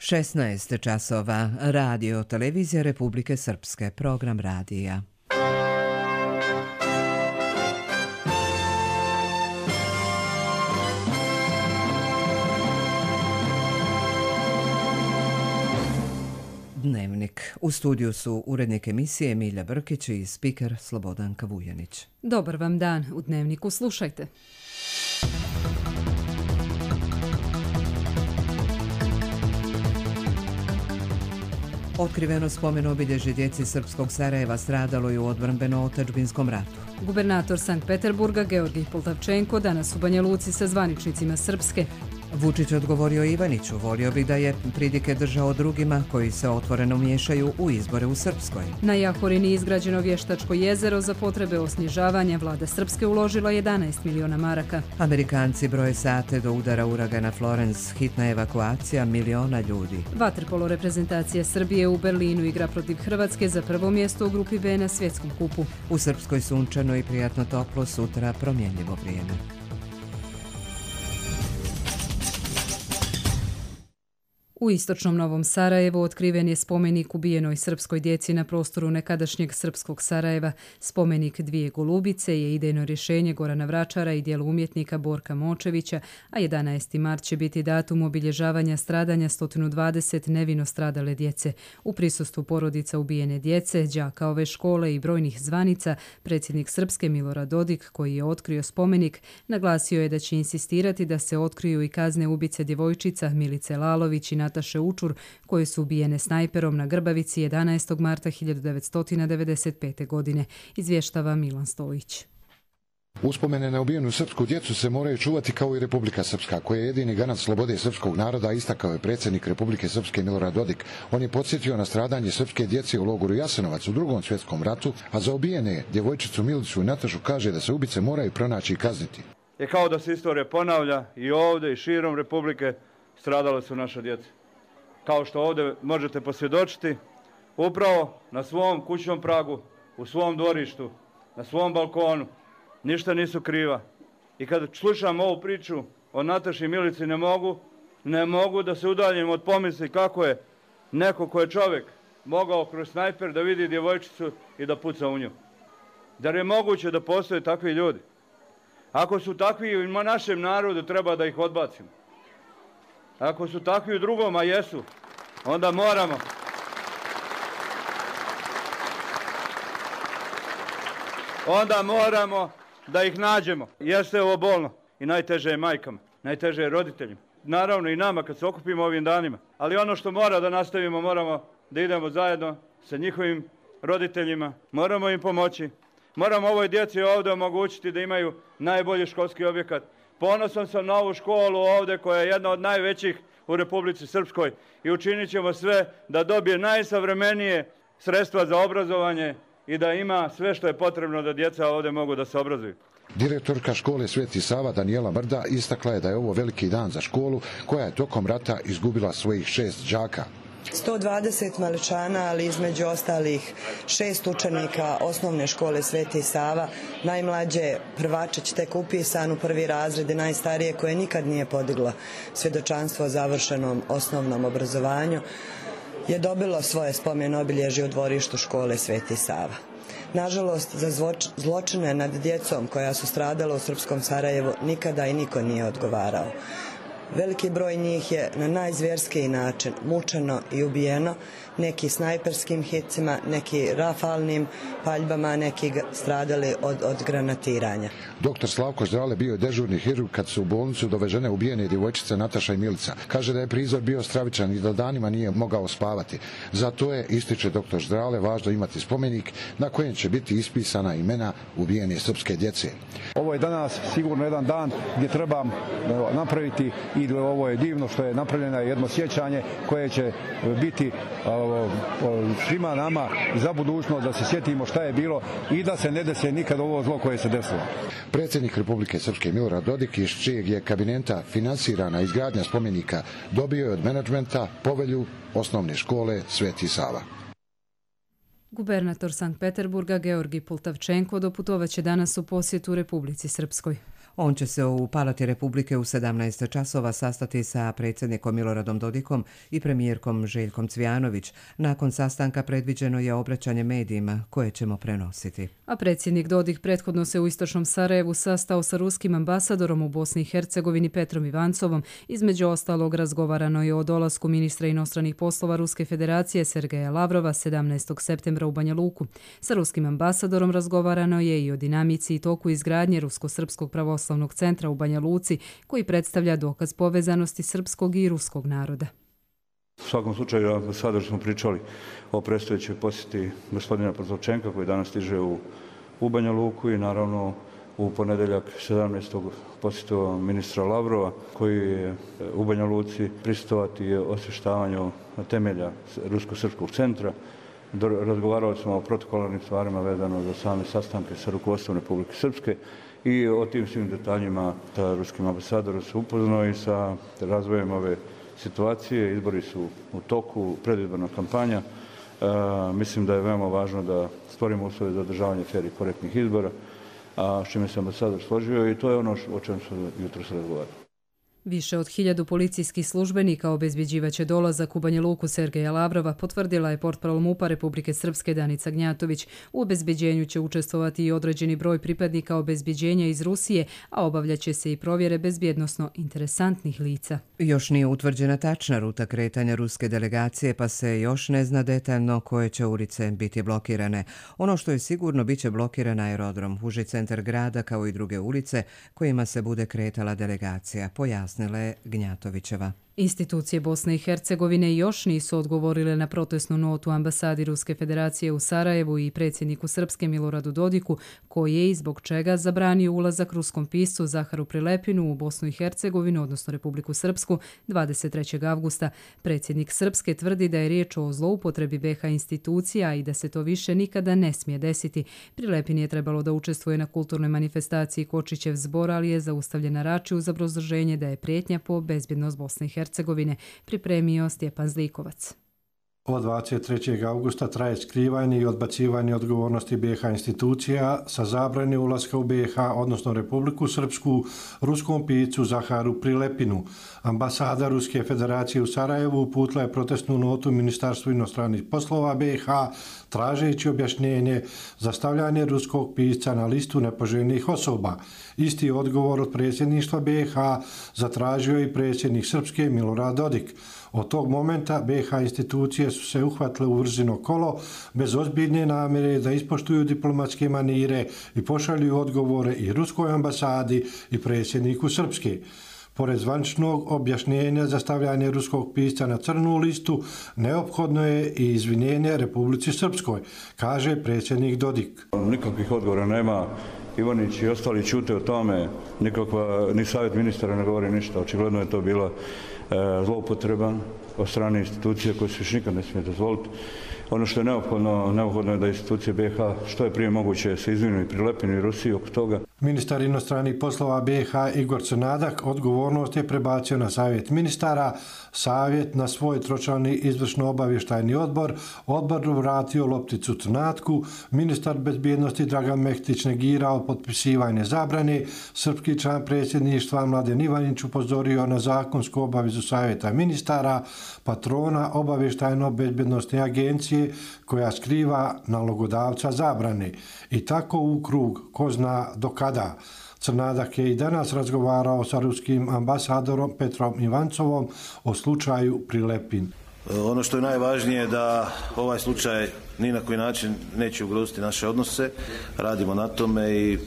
16 časova. Radio Televizija Republike Srpske. Program radija. Dnevnik. U studiju su urednik emisije Emilija Brkić i spiker Slobodanka Vujanić. Dobar vam dan. U Dnevniku slušajte. Otkriveno spomen obilježje djeci srpskog Sarajeva stradalo i u odbrambeno-otadžbinskom ratu. Gubernator Sankt Peterburga Georgij Poltavčenko danas u Banja Luci sa zvaničnicima Srpske. Vučić odgovorio Ivaniću, volio bih da je pridike držao drugima koji se otvoreno miješaju u izbore u Srpskoj. Na Jahorini izgrađeno vještačko jezero za potrebe osnježavanja. Vlada Srpske uložila 11 miliona maraka. Amerikanci broje sate do udara uragana Florence, hitna evakuacija miliona ljudi. Vaterpolo reprezentacija Srbije u Berlinu igra protiv Hrvatske za prvo mjesto u grupi B na svjetskom kupu. U Srpskoj sunčano i prijatno toplo, sutra promjenljivo vrijeme. U istočnom Novom Sarajevu otkriven je spomenik ubijenoj srpskoj djeci na prostoru nekadašnjeg srpskog Sarajeva. Spomenik Dvije golubice je idejno rješenje Gorana Vračara i djelo umjetnika Borka Močevića, a 11. mart će biti datum obilježavanja stradanja 120 nevino stradale djece. U prisustvu porodica ubijene djece, đaka ove škole i brojnih zvanica, predsjednik Srpske Milorad Dodik, koji je otkrio spomenik, naglasio je da će insistirati da se otkriju i kazne ubice djevojčica Milice Lalović i Nataše Učur, koje su ubijene snajperom na Grbavici 11. marta 1995. godine, izvještava Milan Stojić. Uspomene na ubijenu srpsku djecu se moraju čuvati kao i Republika Srpska, koja je jedini garant slobode srpskog naroda, istakao je predsjednik Republike Srpske Milorad Dodik. On je podsjetio na stradanje srpske djece u logoru Jasenovac u Drugom svjetskom ratu, a za ubijene djevojčicu Milicu i Natašu kaže da se ubice moraju pronaći i kazniti. Je kao da se istorija ponavlja i ovdje i širom Republike stradala su naša djeca. Kao što ovdje možete posvjedočiti, upravo na svom kućnom pragu, u svom dvorištu, na svom balkonu, ništa nisu kriva. I kad slušam ovu priču o Nataši i Milici, ne mogu da se udaljim od pomisli kako je neko ko je čovjek mogao kroz snajper da vidi djevojčicu i da puca u nju. Da je moguće da postoje takvi ljudi? Ako su takvi u našem narodu, treba da ih odbacimo. Ako su takvi u drugom, a jesu, onda moramo da ih nađemo. Jeste ovo bolno i najteže je majkama, najteže je roditeljima. Naravno i nama kad se okupimo ovim danima. Ali ono što mora da nastavimo, moramo da idemo zajedno sa njihovim roditeljima, moramo im pomoći. Moramo ovoj djeci ovdje omogućiti da imaju najbolji školski objekat. Ponosan sam na ovu školu ovdje koja je jedna od najvećih u Republici Srpskoj i učinit ćemo sve da dobije najsavremenije sredstva za obrazovanje i da ima sve što je potrebno da djeca ovdje mogu da se obrazuju. Direktorka škole Sveti Sava Danijela Mrda istakla je da je ovo veliki dan za školu koja je tokom rata izgubila svojih 6 đaka. 120 maličana, ali između ostalih 6 učenika osnovne škole Sveti Sava, najmlađe prvačić tek upisan u prvi razred i najstarije koje nikad nije podiglo svjedočanstvo o završenom osnovnom obrazovanju, je dobilo svoje spomen obilježje u dvorištu škole Sveti Sava. Nažalost, za zločine nad djecom koja su stradala u srpskom Sarajevu nikada i niko nije odgovarao. Veliki broj njih je na najzvjerskiji način mučeno i ubijeno, neki snajperskim hicima, neki rafalnim paljbama, neki stradali od granatiranja. Doktor Slavko Zdrale bio je dežurni hirurg kad su u bolnicu dovežene ubijene djevojčice Nataša i Milica. Kaže da je prizor bio stravičan i da danima nije mogao spavati. Zato je, ističe doktor Zdrale, važno imati spomenik na kojem će biti ispisana imena ubijene srpske djece. Ovo je danas sigurno jedan dan gdje treba napraviti i ovo je divno što je napravljeno jedno sjećanje koje će biti svima nama za budućnost da se sjetimo šta je bilo i da se ne desi nikad ovo zlo koje se desilo. Predsjednik Republike Srpske Milorad Dodik, iz čijeg je kabineta finansirana izgradnja spomenika, dobio je od menadžmenta povelju osnovne škole Sveti Sava. Gubernator Sankt Peterburga Georgij Poltavčenko doputovaće danas u posjetu Republici Srpskoj. On će se u Palati Republike u 17 časova sastati sa predsjednikom Miloradom Dodikom i premijerkom Željkom Cvijanović. Nakon sastanka predviđeno je obraćanje medijima koje ćemo prenositi. A predsjednik Dodik prethodno se u istočnom Sarajevu sastao sa ruskim ambasadorom u Bosni i Hercegovini Petrom Ivancovom. Između ostalog razgovarano je o dolasku ministra inostranih poslova Ruske federacije Sergeja Lavrova 17. septembra u Banja Luku. Sa ruskim ambasadorom razgovarano je i o dinamici i toku izgradnje Rusko-srpskog pravoslavnog centra u Banja Luci, koji predstavlja dokaz povezanosti srpskog i ruskog naroda. U svakom slučaju, ambasador smo pričali o predstojećoj posjeti gospodina Pozovčenka koji danas stiže u Banja Luku i naravno u ponedjeljak 17. posjetio ministra Lavrova koji je u Banja Luci prisustvovati osvještavanju temelja Rusko-srpskog centra. Razgovarali smo o protokolarnim stvarima vezano za same sastanke sa rukovodstvom Republike Srpske i o tim svim detaljima sa ruskim ambasadorom se upoznao i sa razvojem ove situacije. Izbori su u toku, predizborna kampanja. Mislim da je veoma važno da stvorimo uslove za održavanje fer i korektnih izbora, a s čime se ambasador složio i to je ono o čem se jutros razgovarali. Više od 1000 policijskih službenika obezbjeđivaće dolazak u Banja Luku Sergeja Lavrova, potvrdila je portparol MUP-a Republike Srpske Danica Gnjatović. U obezbjeđenju će učestvovati i određeni broj pripadnika obezbjeđenja iz Rusije, a obavljaće se i provjere bezbjednosno interesantnih lica. Još nije utvrđena tačna ruta kretanja ruske delegacije, pa se još ne zna detaljno koje će ulice biti blokirane. Ono što je sigurno, bit će blokiran aerodrom, uži centar grada kao i druge ulice kojima se bude kretala delegacija, pojasnila je Gnjatovićeva. Institucije Bosne i Hercegovine još nisu odgovorile na protestnu notu ambasadi Ruske federacije u Sarajevu i predsjedniku Srpske Miloradu Dodiku, koji je i zbog čega zabranio ulazak ruskom piscu Zaharu Prilepinu u Bosnu i Hercegovinu, odnosno Republiku Srpsku, 23. avgusta. Predsjednik Srpske tvrdi da je riječ o zloupotrebi BiH institucija i da se to više nikada ne smije desiti. Prilepin je trebalo da učestvuje na kulturnoj manifestaciji Kočićev zbor, ali je zaustavljen na Rači uz obrazloženje da je prijetnja po bezbjednost Bosne i Hercegovine, pripremio Stjepan Zlikovac. Od 23. augusta traje skrivanje i odbacivanje odgovornosti BiH institucija sa zabrane ulaska u BiH, odnosno Republiku Srpsku, ruskom piscu Zaharu Prilepinu. Ambasada Ruske federacije u Sarajevu uputila je protestnu notu Ministarstvu inostranih poslova BiH, tražeći objašnjenje za stavljanje ruskog pisca na listu nepoželjnih osoba. Isti odgovor od predsjedništva BiH zatražio i predsjednik Srpske Milorad Dodik. Od tog momenta BiH institucije su se uhvatile u vrzino kolo bez ozbiljne namjere da ispoštuju diplomatske manire i pošalju odgovore i ruskoj ambasadi i predsjedniku Srpske. Pored zvaničnog objašnjenja za stavljanje ruskog pisca na crnu listu, neophodno je i izvinjenje Republici Srpskoj, kaže predsjednik Dodik. Nikakvih odgovora nema. Ivanić i ostali ćute o tome, ni savjet ministara ne govori ništa. Očigledno je to bila zloupotreba od strane institucije koje se još nikad ne smije dozvoliti. Ono što je neophodno je da institucije BiH što je prije moguće se izvinu i Prilepinu i Rusiji oko toga. Ministar inostranih poslova BiH Igor Crnadak odgovornost je prebacio na savjet ministara, savjet na svoj tročlani izvršno-obavještajni odbor, odbor vratio lopticu Crnatku, ministar bezbjednosti Dragan Mehtić negirao potpisivanje zabrane, srpski član predsjedništva Mladen Ivanić upozorio na zakonsku obavezu savjeta ministara, patrona obavještajno-bezbjednostne agencije koja skriva nalogodavca zabrane. I tako u krug, ko zna do kada. Crnadak je i danas razgovarao sa ruskim ambasadorom Petrom Ivancovom o slučaju Prilepin. Ono što je najvažnije je da ovaj slučaj ni na koji način neće ugroziti naše odnose. Radimo na tome i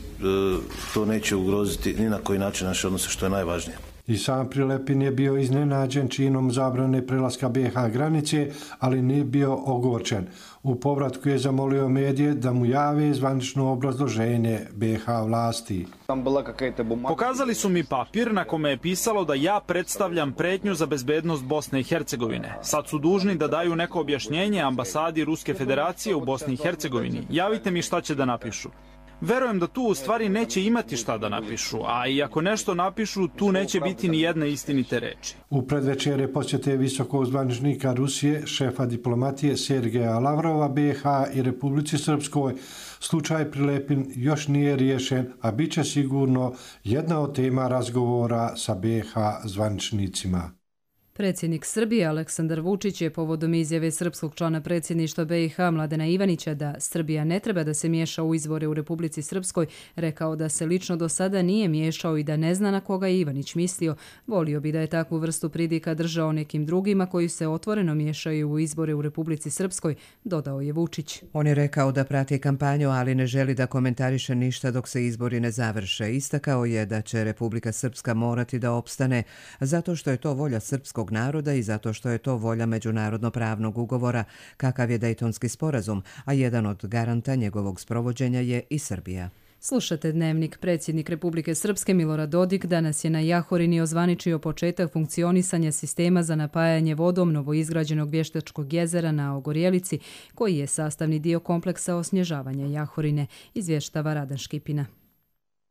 to neće ugroziti ni na koji način naše odnose, što je najvažnije. I sam Prilepin je bio iznenađen činom zabrane prelaska BiH granice, ali nije bio ogorčen. U povratku je zamolio medije da mu jave zvanično obrazloženje BiH vlasti. Pokazali su mi papir na kome je pisalo da ja predstavljam prijetnju za bezbednost Bosne i Hercegovine. Sad su dužni da daju neko objašnjenje ambasadi Ruske federacije u Bosni i Hercegovini. Javite mi šta će da napišu. Verujem da tu u stvari neće imati šta da napišu, a i ako nešto napišu, tu neće biti ni jedne istinite reči. U predvečerje posjete visokog zvaničnika Rusije, šefa diplomatije Sergeja Lavrova BiH i Republici Srpskoj, slučaj Prilepin još nije riješen, a bit će sigurno jedna od tema razgovora sa BiH zvaničnicima. Predsjednik Srbije Aleksandar Vučić je povodom izjave srpskog člana predsjedništva BiH Mladena Ivanića da Srbija ne treba da se miješa u izbore u Republici Srpskoj rekao da se lično do sada nije miješao i da ne zna na koga je Ivanić mislio. Volio bi da je takvu vrstu pridika držao nekim drugima koji se otvoreno miješaju u izbore u Republici Srpskoj, dodao je Vučić. On je rekao da prati kampanju, ali ne želi da komentariše ništa dok se izbori ne završe. Istakao je da će Republika Srpska morati da opstane zato što je to volja srpskog naroda i zato što je to volja međunarodno-pravnog ugovora kakav je Dejtonski sporazum, a jedan od garanta njegovog sprovođenja je i Srbija. Slušate Dnevnik. Predsjednik Republike Srpske Milorad Dodik danas je na Jahorini ozvaničio početak funkcionisanja sistema za napajanje vodom novoizgrađenog vještačkog jezera na Ogorjelici, koji je sastavni dio kompleksa osnježavanja Jahorine, izvještava Radan Škipina.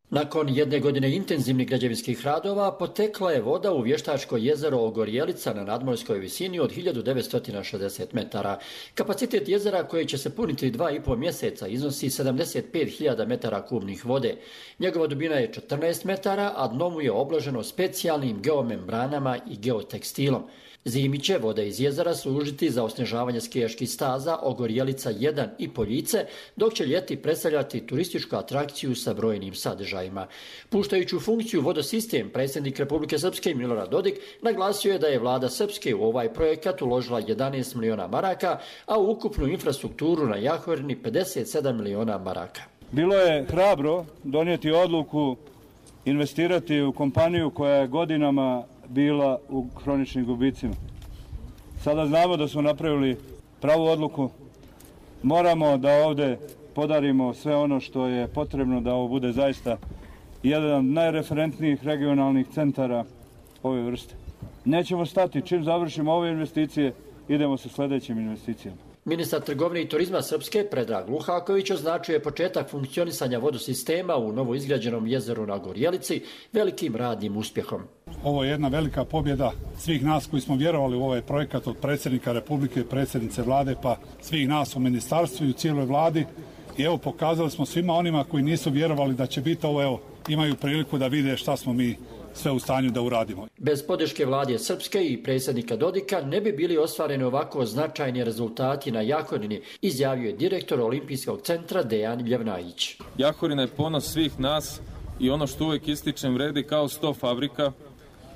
Nakon jedne godine intenzivnih građevinskih radova potekla je voda u vještačko jezero Ogorjelica na nadmorskoj visini od 1960 metara. Kapacitet jezera koji će se puniti 2,5 mjeseca iznosi 75.000 metara kubnih vode. Njegova dubina je 14 metara, a dno mu je obloženo specijalnim geomembranama i geotekstilom. Zimi će voda iz jezera služiti za osnježavanje skijaških staza Ogorjelica 1 i Poljice, dok će ljeti predstavljati turističku atrakciju sa brojnim sadržajima. Puštajući u funkciju vodosistem, predsjednik Republike Srpske Milorad Dodik naglasio je da je vlada Srpske u ovaj projekat uložila 11 miliona maraka, a u ukupnu infrastrukturu na Jahorini 57 miliona maraka. Bilo je hrabro donijeti odluku investirati u kompaniju koja je godinama bila u hroničnim gubicima. Sada znamo da smo napravili pravu odluku. Moramo da ovdje podarimo sve ono što je potrebno da ovo bude zaista jedan od najreferentnijih regionalnih centara ove vrste. Nećemo stati. Čim završimo ove investicije, idemo sa sljedećim investicijama. Ministar trgovine i turizma Srpske Predrag Luhaković označuje početak funkcionisanja vodosistema u novoizgrađenom jezeru na Gorjelici velikim radnim uspjehom. Ovo je jedna velika pobjeda svih nas koji smo vjerovali u ovaj projekat, od predsjednika Republike, predsjednice vlade, pa svih nas u ministarstvu i u cijeloj vladi. I evo, pokazali smo svima onima koji nisu vjerovali da će biti ovo, evo, imaju priliku da vide šta smo mi sve u stanju da uradimo. Bez podrške vlade Srpske i predsjednika Dodika ne bi bili ostvareni ovako značajni rezultati na Jahorini, izjavio je direktor Olimpijskog centra Dejan Ljevnajić. Jahorina je ponos svih nas i ono što uvijek ističem vredi kao 100 fabrika.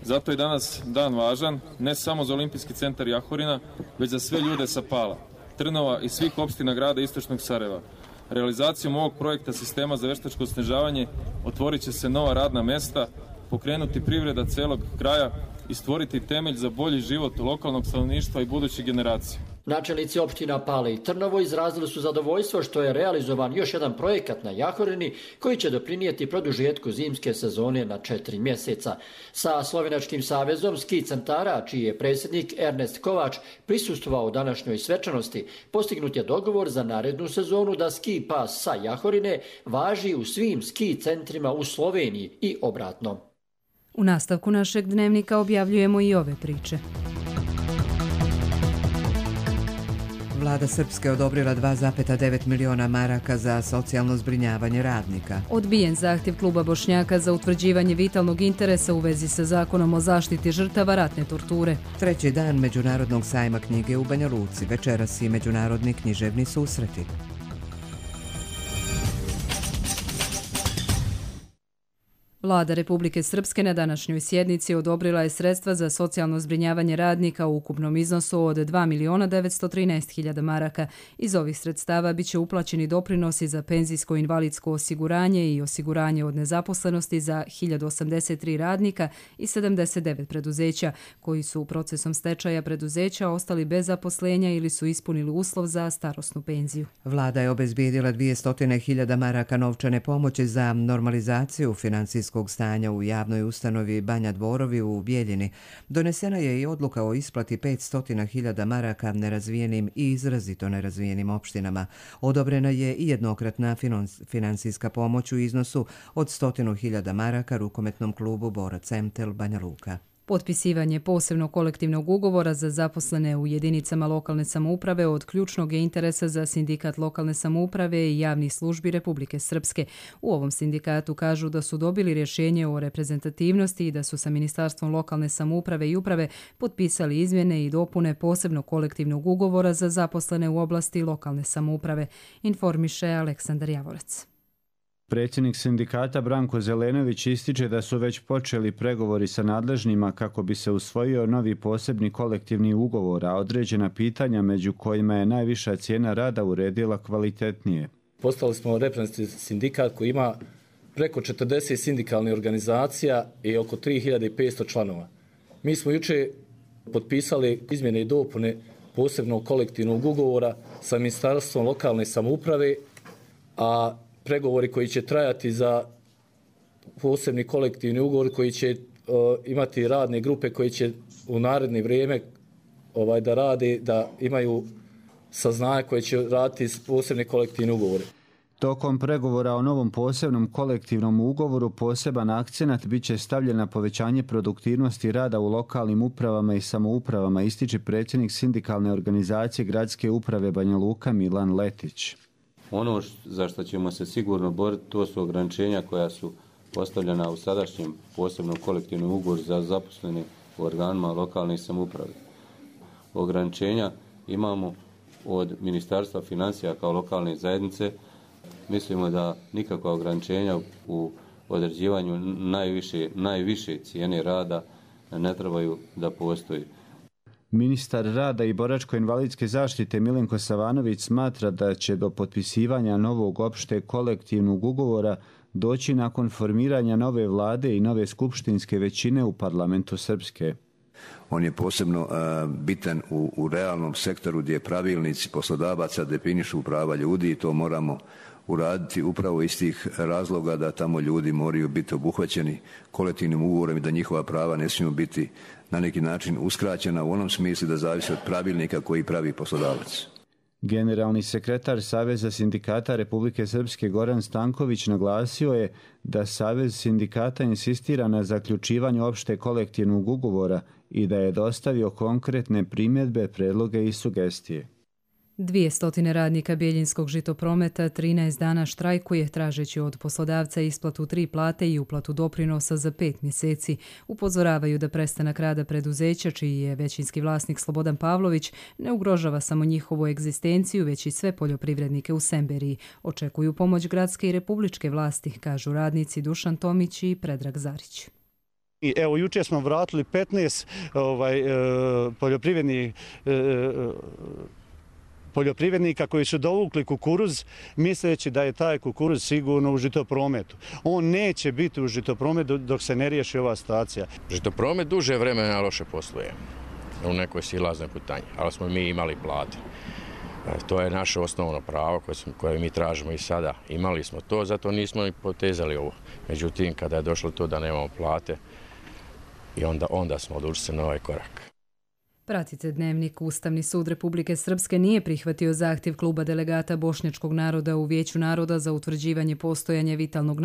Zato je danas dan važan, ne samo za Olimpijski centar Jahorina, već za sve ljude sa Pala, Trnova i svih opština grada Istočnog Sarajeva. Realizacijom ovog projekta sistema za vještačko osnježavanje otvorit će se nova radna mesta, pokrenuti privreda celog kraja i stvoriti temelj za bolji život lokalnog stanovništva i budućih generacija. Načelnici opština Pale i Trnovo izrazili su zadovoljstvo što je realizovan još jedan projekat na Jahorini koji će doprinijeti produžetku zimske sezone na 4 mjeseca. Sa Slovenačkim savezom ski centara, čiji je predsjednik Ernest Kovač prisustvovao današnjoj svečanosti, postignut je dogovor za narednu sezonu da ski pas sa Jahorine važi u svim ski centrima u Sloveniji i obratno. U nastavku našeg dnevnika objavljujemo i ove priče. Vlada Srpske odobrila 2,9 miliona maraka za socijalno zbrinjavanje radnika. Odbijen zahtjev kluba Bošnjaka za utvrđivanje vitalnog interesa u vezi sa zakonom o zaštiti žrtava ratne torture. Treći dan Međunarodnog sajma knjige u Banja Luci, večeras i međunarodni književni susreti. Vlada Republike Srpske na današnjoj sjednici odobrila je sredstva za socijalno zbrinjavanje radnika u ukupnom iznosu od 2.913.000 maraka. Iz ovih sredstava biće uplaćeni doprinosi za penzijsko invalidsko osiguranje i osiguranje od nezaposlenosti za 1083 radnika i 79 preduzeća, koji su procesom stečaja preduzeća ostali bez zaposlenja ili su ispunili uslov za starosnu penziju. Vlada je obezbijedila 200.000 maraka novčane pomoći za normalizaciju financijskog imovinskog stanja u javnoj ustanovi Banja Dvorovi u Bijeljini, donesena je i odluka o isplati 500.000 maraka nerazvijenim i izrazito nerazvijenim opštinama. Odobrena je i jednokratna finansijska pomoć u iznosu od 100.000 maraka rukometnom klubu Borac Emtel Banja Luka. Potpisivanje posebnog kolektivnog ugovora za zaposlene u jedinicama lokalne samouprave od ključnog je interesa za Sindikat lokalne samouprave i javnih službi Republike Srpske. U ovom sindikatu kažu da su dobili rješenje o reprezentativnosti i da su sa Ministarstvom lokalne samouprave i uprave potpisali izmjene i dopune posebnog kolektivnog ugovora za zaposlene u oblasti lokalne samouprave, informiše Aleksandar Javorac. Predsjednik sindikata Branko Zelenović ističe da su već počeli pregovori sa nadležnima kako bi se usvojio novi posebni kolektivni ugovor, a određena pitanja među kojima je najviša cijena rada uredila kvalitetnije. Postali smo reprezentativni sindikat koji ima preko 40 sindikalnih organizacija i oko 3500 članova. Mi smo jučer potpisali izmjene i dopune posebnog kolektivnog ugovora sa Ministarstvom lokalne samouprave, a pregovori koji će trajati za posebni kolektivni ugovor koji će imati radne grupe koji će u naredno vrijeme da rade, da imaju saznanje koje će raditi posebni kolektivni ugovori. Tokom pregovora o novom posebnom kolektivnom ugovoru poseban akcenat bit će stavljen na povećanje produktivnosti rada u lokalnim upravama i samoupravama, ističe predsjednik sindikalne organizacije Gradske uprave Banja Luka Milan Letić. Ono za što ćemo se sigurno boriti, to su ograničenja koja su postavljena u sadašnjem posebnom kolektivnom ugovoru za zaposlene u organima lokalne samouprave. Ograničenja imamo od Ministarstva financija kao lokalne zajednice. Mislimo da nikakva ograničenja u određivanju najviše cijene rada ne trebaju da postoji. Ministar rada i boračko-invalidske zaštite Milenko Savanović smatra da će do potpisivanja novog opšte kolektivnog ugovora doći nakon formiranja nove vlade i nove skupštinske većine u parlamentu Srpske. On je posebno bitan u realnom sektoru gdje pravilnici poslodavaca definišu prava ljudi i to moramo uraditi upravo iz tih razloga da tamo ljudi moraju biti obuhvaćeni kolektivnim ugovorom i da njihova prava ne smiju biti na neki način uskraćena u onom smislu da zavisi od pravilnika koji pravi poslodavac. Generalni sekretar Saveza sindikata Republike Srpske Goran Stanković naglasio je da Savez sindikata insistira na zaključivanju opšte kolektivnog ugovora i da je dostavio konkretne primjedbe, predloge i sugestije. 200 radnika Bijeljinskog žitoprometa 13 dana štrajkuje tražeći od poslodavca isplatu 3 plate i uplatu doprinosa za 5 mjeseci. Upozoravaju da prestanak rada preduzeća, čiji je većinski vlasnik Slobodan Pavlović, ne ugrožava samo njihovu egzistenciju, već i sve poljoprivrednike u Semberiji. Očekuju pomoć gradske i republičke vlasti, kažu radnici Dušan Tomić i Predrag Zarić. Evo, jučer smo vratili 15 poljoprivrednika koji su dovukli kukuruz misleći da je taj kukuruz sigurno u žitoprometu. On neće biti u žitoprometu dok se ne riješi ova situacija. Žitopromet duže vremena loše posluje u nekoj silaznoj putanji, ali smo mi imali plate. To je naše osnovno pravo koje mi tražimo i sada. Imali smo to, zato nismo i potezali ovo. Međutim, kada je došlo to da nemamo plate, i onda smo odlučili se na ovaj korak. Pratite Dnevnik. Ustavni sud Republike Srpske nije prihvatio zahtjev kluba delegata bošnjačkog naroda u Vijeću naroda za utvrđivanje postojanja vitalnog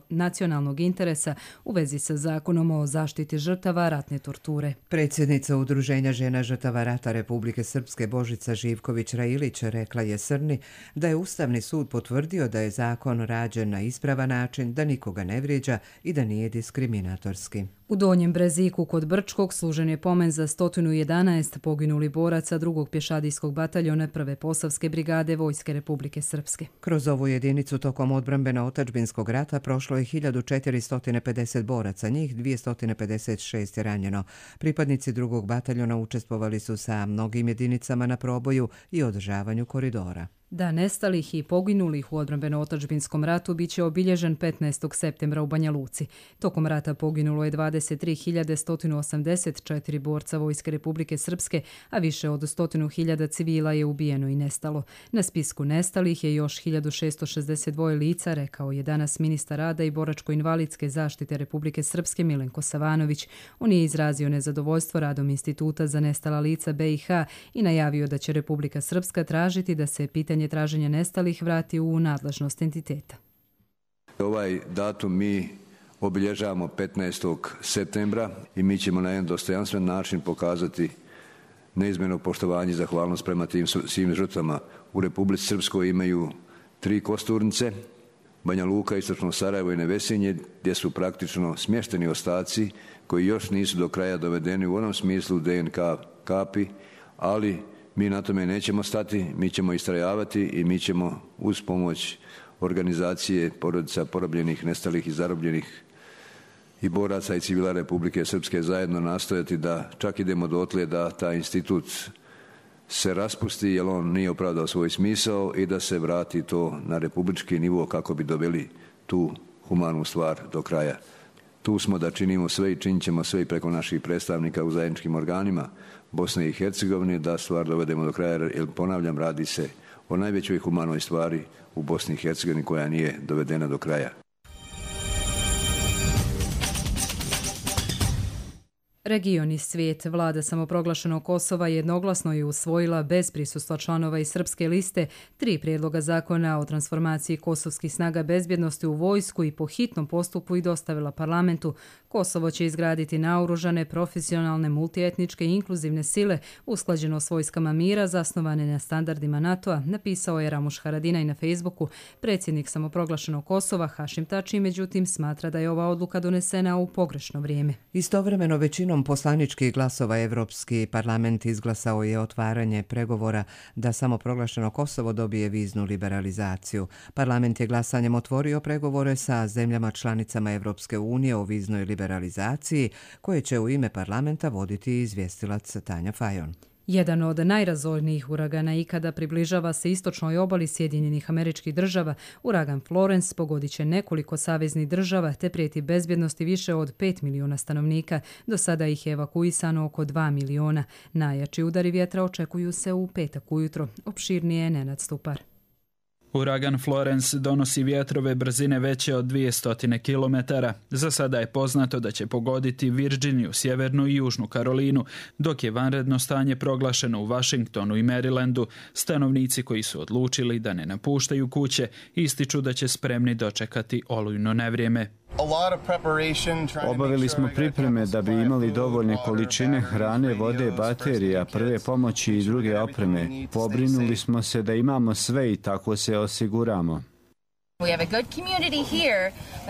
nacionalnog interesa u vezi sa zakonom o zaštiti žrtava ratne torture. Predsjednica Udruženja žena žrtava rata Republike Srpske Božica Živković-Railić rekla je Srni da je Ustavni sud potvrdio da je zakon rađen na ispravan način, da nikoga ne vrijeđa i da nije diskriminatorski. U Donjem Breziku kod Brčkog služen je pomen za 111 poginuli boraca 2. pješadijskog bataljona 1. Posavske brigade Vojske Republike Srpske. Kroz ovu jedinicu tokom odbrambeno-otadžbinskog rata prošlo je 1450 boraca, njih 256 je ranjeno. Pripadnici 2. bataljona učestvovali su sa mnogim jedinicama na proboju i održavanju koridora. Dan nestalih i poginulih u odbrambeno-otadžbinskom ratu bit će obilježen 15. septembra u Banja Luci. Tokom rata poginulo je 23.184 borca Vojske Republike Srpske, a više od 100.000 civila je ubijeno i nestalo. Na spisku nestalih je još 1662 lica, rekao je danas ministar rada i boračko-invalidske zaštite Republike Srpske Milenko Savanović. On je izrazio nezadovoljstvo radom Instituta za nestala lica BiH i najavio da će Republika Srpska tražiti da se pitanje traženja nestalih vrati u nadležnost entiteta. Ovaj datum mi obilježavamo 15. septembra i mi ćemo na jedan dostojanstven način pokazati neizmjerno poštovanje i zahvalnost prema tim svim žrtvama. U Republici Srpskoj imaju 3 kosturnice, Banja Luka, Istočno Sarajevo i Nevesinje, gdje su praktično smješteni ostaci koji još nisu do kraja dovedeni u onom smislu DNK kapi, ali mi na tome nećemo stati, mi ćemo istrajavati i mi ćemo uz pomoć organizacije porodica porobljenih, nestalih i zarobljenih i boraca i civila Republike Srpske zajedno nastojati da čak idemo dotle da taj institut se raspusti jer on nije opravdao svoj smisao i da se vrati to na republički nivo kako bi doveli tu humanu stvar do kraja. Tu smo da činimo sve i činit ćemo sve i preko naših predstavnika u zajedničkim organima Bosne i Hercegovine da stvar dovedemo do kraja, jer ponavljam, radi se o najvećoj humanoj stvari u Bosni i Hercegovini koja nije dovedena do kraja. Region i svijet. Vlada samoproglašenog Kosova jednoglasno je usvojila bez prisustva članova iz srpske liste 3 prijedloga zakona o transformaciji kosovskih snaga bezbjednosti u vojsku i po hitnom postupku i dostavila parlamentu. Kosovo će izgraditi naoružane, profesionalne, multietničke i inkluzivne sile usklađeno s vojskama mira zasnovane na standardima NATO-a, napisao je Ramuš Haradinaj na Facebooku. Predsjednik samoproglašenog Kosova Hašim Tači međutim smatra da je ova odluka donesena u pogrešno vrijeme. Istovremeno većinom poslaničkih glasova Evropski parlament izglasao je otvaranje pregovora da samoproglašeno Kosovo dobije viznu liberalizaciju. Parlament je glasanjem otvorio pregovore sa zemljama članicama Evropske unije o viznoj liberalizaciji, koje će u ime parlamenta voditi izvjestilac Tanja Fajon. Jedan od najrazornijih uragana ikada približava se istočnoj obali Sjedinjenih Američkih Država. Uragan Florence pogodit će nekoliko saveznih država te prijeti bezbjednosti više od 5 miliona stanovnika. Do sada ih je evakuisano oko 2 miliona. Najjači udari vjetra očekuju se u petak ujutro. Opširnije je Nenad Stupar. Uragan Florence donosi vjetrove brzine veće od 200 km. Za sada je poznato da će pogoditi Virginiju, Sjevernu i Južnu Karolinu, dok je vanredno stanje proglašeno u Washingtonu i Marylandu. Stanovnici koji su odlučili da ne napuštaju kuće ističu da će spremni dočekati olujno nevrijeme. Obavili smo pripreme da bi imali dovoljne količine hrane, vode, baterija, prve pomoći i druge opreme. Pobrinuli smo se da imamo sve i tako se osiguramo.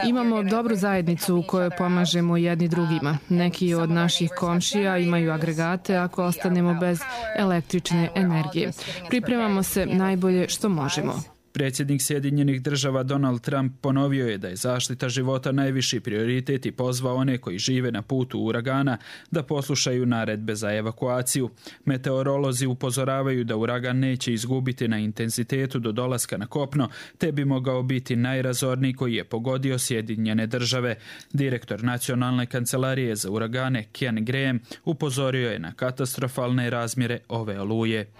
Imamo dobru zajednicu u kojoj pomažemo jedni drugima. Neki od naših komšija imaju agregate ako ostanemo bez električne energije. Pripremamo se najbolje što možemo. Predsjednik Sjedinjenih Država Donald Trump ponovio je da je zaštita života najviši prioritet i pozvao one koji žive na putu uragana da poslušaju naredbe za evakuaciju. Meteorolozi upozoravaju da uragan neće izgubiti na intenzitetu do dolaska na kopno, te bi mogao biti najrazorniji koji je pogodio Sjedinjene Države. Direktor Nacionalne kancelarije za uragane Ken Graham upozorio je na katastrofalne razmjere ove oluje.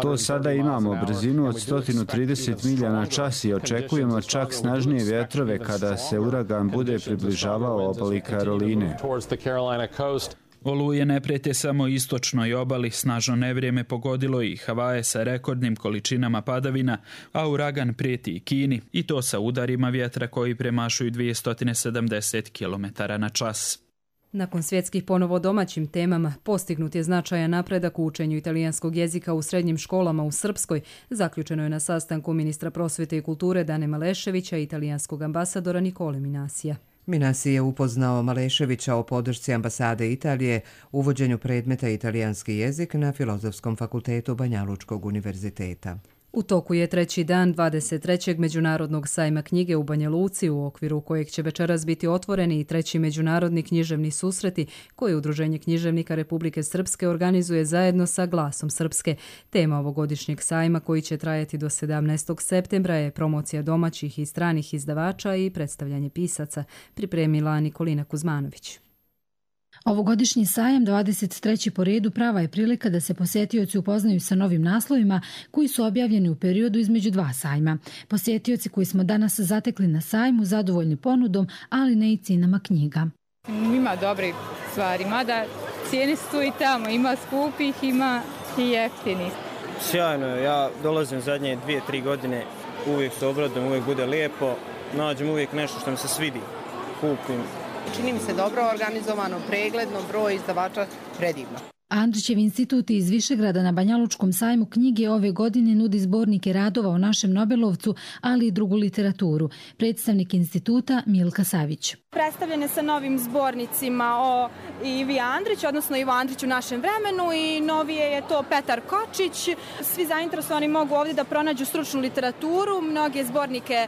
To sada imamo brzinu od 130 milja na čas i očekujemo čak snažnije vjetrove kada se uragan bude približavao obali Karoline. Oluje ne prijete samo istočnoj obali, snažno nevrijeme pogodilo i Havaje sa rekordnim količinama padavina, a uragan prijeti i Kini, i to sa udarima vjetra koji premašuju 270 km na čas. Nakon svjetskih ponovo domaćim temama, postignut je značajan napredak u učenju italijanskog jezika u srednjim školama u Srpskoj. Zaključeno je na sastanku ministra prosvjete i kulture Dane Maleševića i italijanskog ambasadora Nikole Minasija. Minasi je upoznao Maleševića o podršci ambasade Italije uvođenju predmeta italijanski jezik na Filozofskom fakultetu Banja Lučkog univerziteta. U toku je treći dan 23. Međunarodnog sajma knjige u Banja Luci, u okviru kojeg će večeras biti otvoreni i treći međunarodni književni susreti koje Udruženje književnika Republike Srpske organizuje zajedno sa Glasom Srpske. Tema ovogodišnjeg sajma, koji će trajati do 17. septembra, je promocija domaćih i stranih izdavača i predstavljanje pisaca, pripremila Nikolina Kuzmanović. Ovogodišnji sajam, 23. po redu, prava je prilika da se posjetioci upoznaju sa novim naslovima koji su objavljeni u periodu između dva sajma. Posjetioci koji smo danas zatekli na sajmu zadovoljni ponudom, ali ne i cijenama knjiga. Ima dobrih stvari, mada cijene su i tamo, ima skupih, ima i jeftinih. Sjajno, ja dolazim zadnje 2-3 godine, uvijek se obradujem, uvijek bude lijepo, nađem uvijek nešto što mi se svidi, kupim. Čini mi se dobro organizovano, pregledno, broj izdavača predivno. Andrićev institut iz Višegrada na Banjalučkom sajmu knjige ove godine nudi zbornike radova o našem Nobelovcu, ali i drugu literaturu. Predstavnik instituta Milka Savić. Predstavljene sa novim zbornicima o Ivi Andriću, odnosno Ivo Andrić u našem vremenu, i novije je to Petar Kočić. Svi zainteresovani mogu ovdje da pronađu stručnu literaturu, mnoge zbornike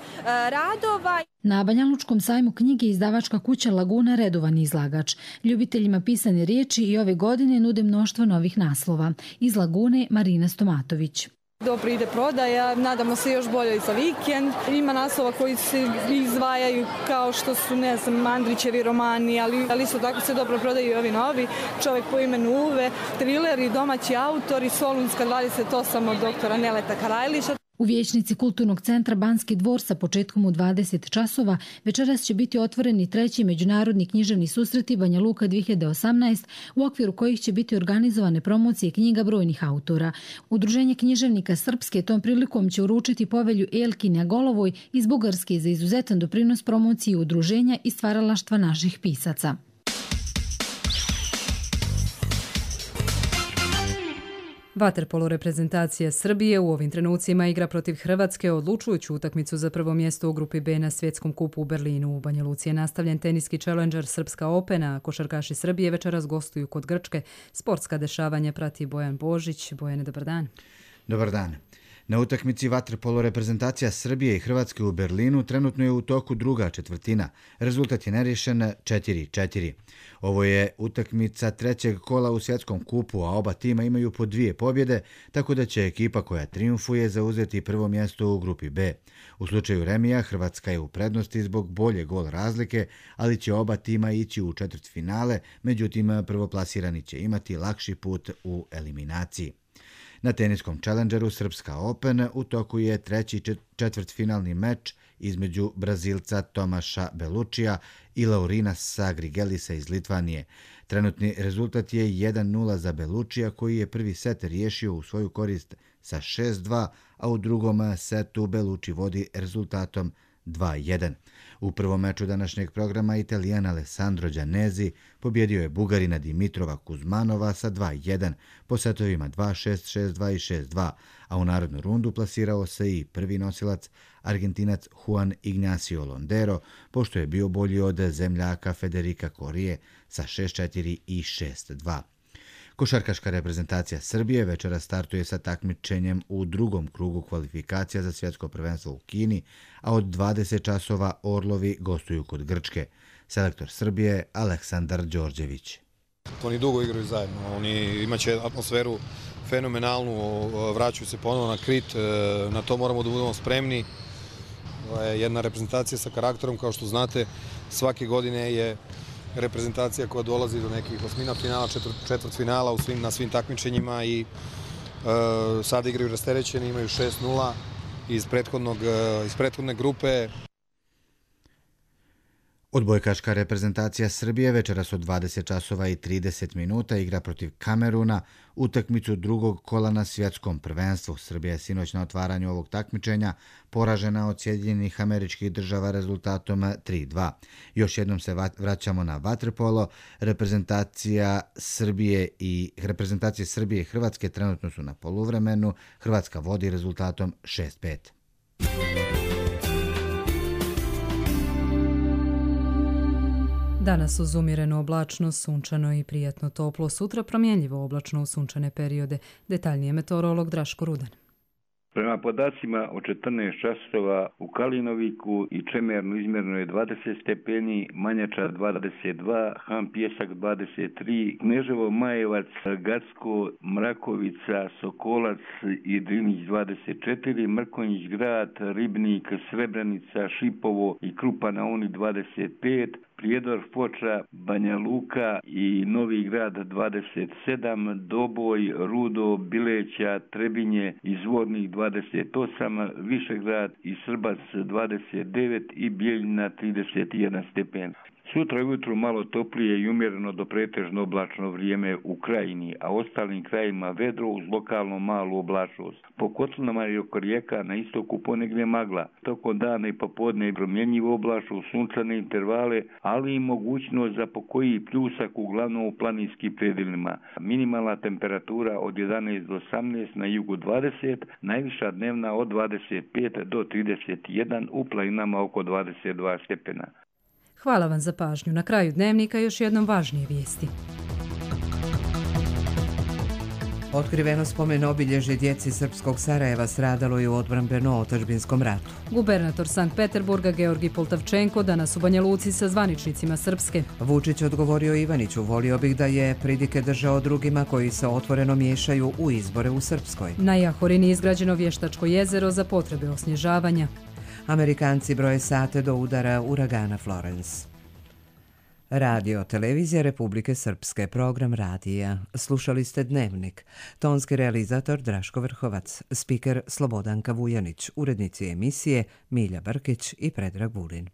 radova. Na Banjalučkom sajmu knjige izdavačka kuća Laguna redovan izlagač. Ljubiteljima pisane riječi i ove godine nude mnoštvo novih naslova. Iz Lagune Marina Stomatović. Dobro ide prodaja, nadamo se još bolje za vikend. Ima naslova koji se izdvajaju kao što su, ne znam, Andrićevi romani, ali isto tako se dobro prodaju i ovi novi. Čovjek po imenu Uve, trileri, domaći autori, Solunska 28 od doktora Neleta Karajliša. U vijećnici Kulturnog centra Banski dvor sa početkom u 20 časova večeras će biti otvoreni treći međunarodni književni susreti Banja Luka 2018, u okviru kojih će biti organizovane promocije knjiga brojnih autora. Udruženje književnika Srpske tom prilikom će uručiti povelju Elkinja Golovoj iz Bugarske za izuzetan doprinos promociji udruženja i stvaralaštva naših pisaca. Vaterpolo reprezentacija Srbije u ovim trenucima igra protiv Hrvatske odlučujuću utakmicu za prvo mjesto u grupi B na svjetskom kupu u Berlinu. U Banja Luci je nastavljen teniski challenger Srpska Opena, a košarkaši Srbije večeras gostuju kod Grčke. Sportska dešavanja prati Bojan Božić. Bojane, dobar dan. Dobar dan. Na utakmici vaterpolo reprezentacija Srbije i Hrvatske u Berlinu trenutno je u toku druga četvrtina. Rezultat je nerješen 4-4. Ovo je utakmica trećeg kola u svjetskom kupu, a oba tima imaju po 2 pobjede, tako da će ekipa koja triumfuje zauzeti prvo mjesto u grupi B. U slučaju remija Hrvatska je u prednosti zbog bolje gol razlike, ali će oba tima ići u četvrtfinale, međutim prvoplasirani će imati lakši put u eliminaciji. Na teniskom challengeru Srpska Open u toku je treći četvrtfinalni meč između Brazilca Tomaša Belučija i Laurinasa Grigelisa iz Litvanije. Trenutni rezultat je 1-0 za Belučija, koji je prvi set riješio u svoju korist sa 6-2, a u drugom setu Beluči vodi rezultatom 2-1. U prvom meču današnjeg programa Italijan Alessandro Giannesi pobjedio je Bugarina Dimitrova Kuzmanova sa 2-1 po setovima 2-6, 6-2 i 6-2, a u narodnu rundu plasirao se i prvi nosilac Argentinac Juan Ignacio Londero, pošto je bio bolji od zemljaka Federica Corije sa 6-4 i 6-2. Košarkaška reprezentacija Srbije večera startuje sa takmičenjem u drugom krugu kvalifikacija za svjetsko prvenstvo u Kini, a od 20 časova Orlovi gostuju kod Grčke. Selektor Srbije Aleksandar Đorđević. Oni dugo igraju zajedno, oni imaće atmosferu fenomenalnu, vraćaju se ponovo na Krit, na to moramo da budemo spremni. Jedna reprezentacija sa karakterom, kao što znate, svake godine je reprezentacija koja dolazi do nekih osmina finala, četvrtfinala na svim takmičenjima i sada igraju rasterećeni, imaju 6-0 iz prethodne grupe. Odbojkaška reprezentacija Srbije večeras od 20 časova i 30 minuta igra protiv Kameruna utakmicu drugog kola na svjetskom prvenstvu. Srbija je sinoć na otvaranju ovog takmičenja poražena od Sjedinjenih Američkih Država rezultatom 3-2. Još jednom se vraćamo na vaterpolo. Reprezentacije Srbije i Hrvatske trenutno su na poluvremenu. Hrvatska vodi rezultatom 6-5. Danas uz umjerenu oblačnost, sunčano i prijatno toplo, sutra promjenljivo oblačno u sunčane periode. Detaljnije meteorolog Draško Rudan. Prema podacima o 14 časova u Kalinoviku i Čemernu izmjerno je 20 stepeni, Manjača 22, Han Pjesak 23, Kneževo Majevac, Gacko, Mrakovica, Sokolac i Drinić 24, Mrkonjić Grad, Ribnik, Srebrenica, Šipovo i Krupa na Uni 25, Prijedor, Foča, Banja Luka i Novi Grad 27, Doboj, Rudo, Bileća, Trebinje i Zvornik 28, Višegrad i Srbac 29 i Bijeljina 31 stepen. Sutra ujutru malo toplije i umjereno do pretežno oblačno vrijeme u Krajini, a ostalim krajima vedro uz lokalno malu oblačnost. Po kotlinama i oko rijeka na istoku ponegdje magla. Tokom dana i popodne promjenjivo oblačno, sunčane intervale, ali i mogućnost za pokoji pljusak uglavnom u planinskim predjelima. Minimalna temperatura od 11 do 18, na jugu 20, najviša dnevna od 25 do 31, u planinama oko 22 stepena. Hvala vam za pažnju. Na kraju dnevnika još jednom važnije vijesti. Otkriveno spomen obilježje djeci srpskog Sarajeva stradalo je u odbrambeno-otadžbinskom ratu. Gubernator Sankt Peterburga Georgi Poltavčenko danas u Banja Luci sa zvaničnicima Srpske. Vučić odgovorio Ivaniću, volio bih da je pridike držao drugima koji se otvoreno miješaju u izbore u Srpskoj. Na Jahorini izgrađeno vještačko jezero za potrebe osnježavanja. Amerikanci broje sate do udara uragana Florence. Radio Televizija Republike Srpske, program radija. Slušali ste Dnevnik. Tonski realizator Draško Vrhovac, spiker Slobodanka Vujanić, urednici emisije Milja Brkić i Predrag Vulin.